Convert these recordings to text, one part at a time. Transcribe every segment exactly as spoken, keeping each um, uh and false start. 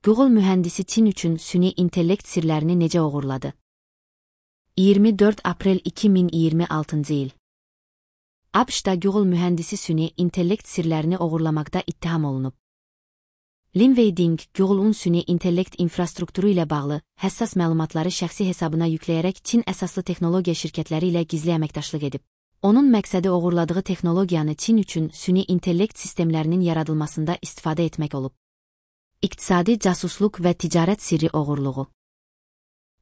Google mühəndisi Çin üçün süni intellekt sirlərini necə oğurladı? iyirmi dörd aprel iki min iyirmi altıncı il. ABŞ-da Google mühəndisi süni intellekt sirlərini oğurlamaqda ittiham olunub. Lin Wei-Ding, Google'un süni intellekt infrastrukturu ilə bağlı həssas məlumatları şəxsi hesabına yükləyərək Çin əsaslı texnologiya şirkətləri ilə gizli əməkdaşlıq edib. Onun məqsədi oğurladığı texnologiyanı Çin üçün süni intellekt sistemlərinin yaradılmasında istifadə etmək olub. İqtisadi casusluq və ticarət sirri oğurluğu.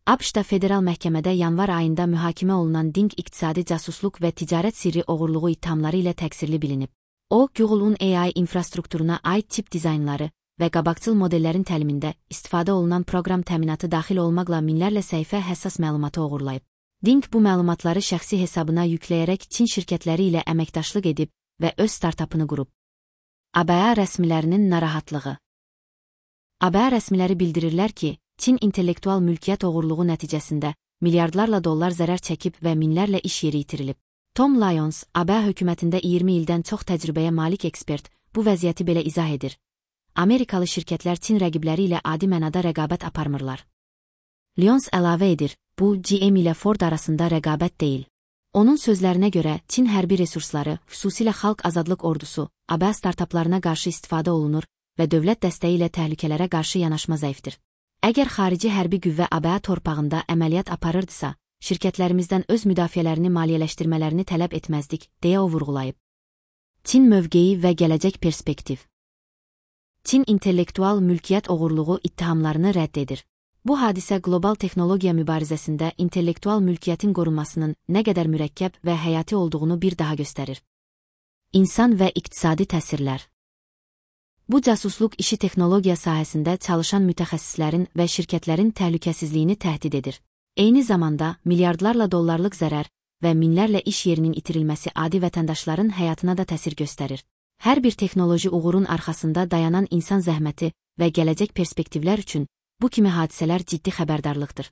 ABŞ-da federal məhkəmədə yanvar ayında mühakimə olunan Ding iqtisadi casusluq və ticarət sirri oğurluğu ittihamları ilə təqsirli bilinib. O, Google'un A I infrastrukturuna aid çip dizaynları və qabaqcıl modellərin təlimində istifadə olunan proqram təminatı daxil olmaqla minlərlə səhifə həssas məlumatı oğurlayıb. Ding bu məlumatları şəxsi hesabına yükləyərək Çin şirkətləri ilə əməkdaşlıq edib və öz startapını qurub. A B A rəsmilərinin narahatlığı. A B A rəsmiləri bildirirlər ki, Çin intellektual mülkiyyət oğurluğu nəticəsində milyardlarla dollar zərər çəkib və minlərlə iş yeri itirilib. Tom Lyons, A B A hökumətində iyirmi ildən çox təcrübəyə malik ekspert, bu vəziyyəti belə izah edir. Amerikalı şirkətlər Çin rəqibləri ilə adi mənada rəqabət aparmırlar. Lyons əlavə edir, bu G M ilə Ford arasında rəqabət deyil. Onun sözlərinə görə Çin hərbi resursları, xüsusilə xalq azadlıq ordusu, A B A startaplarına qarşı istifadə olunur və dövlət dəstəyi ilə təhlükələrə qarşı yanaşma zəifdir. Əgər xarici hərbi qüvvə A B A torpağında əməliyyat aparırdısa, şirkətlərimizdən öz müdafiələrini maliyyələşdirmələrini tələb etməzdik, deyə o vurğulayıb. Çin mövqeyi və gələcək perspektiv. Çin intellektual mülkiyyət oğurluğu ittihamlarını rədd edir. Bu hadisə qlobal texnologiya mübarizəsində intellektual mülkiyyətin qorunmasının nə qədər mürəkkəb və həyati olduğunu bir daha göstərir. İnsan və iqtisadi təsirlər. Bu casusluq işi texnologiya sahəsində çalışan mütəxəssislərin və şirkətlərin təhlükəsizliyini təhdid edir. Eyni zamanda milyardlarla dollarlıq zərər və minlərlə iş yerinin itirilməsi adi vətəndaşların həyatına da təsir göstərir. Hər bir texnoloji uğurun arxasında dayanan insan zəhməti və gələcək perspektivlər üçün bu kimi hadisələr ciddi xəbərdarlıqdır.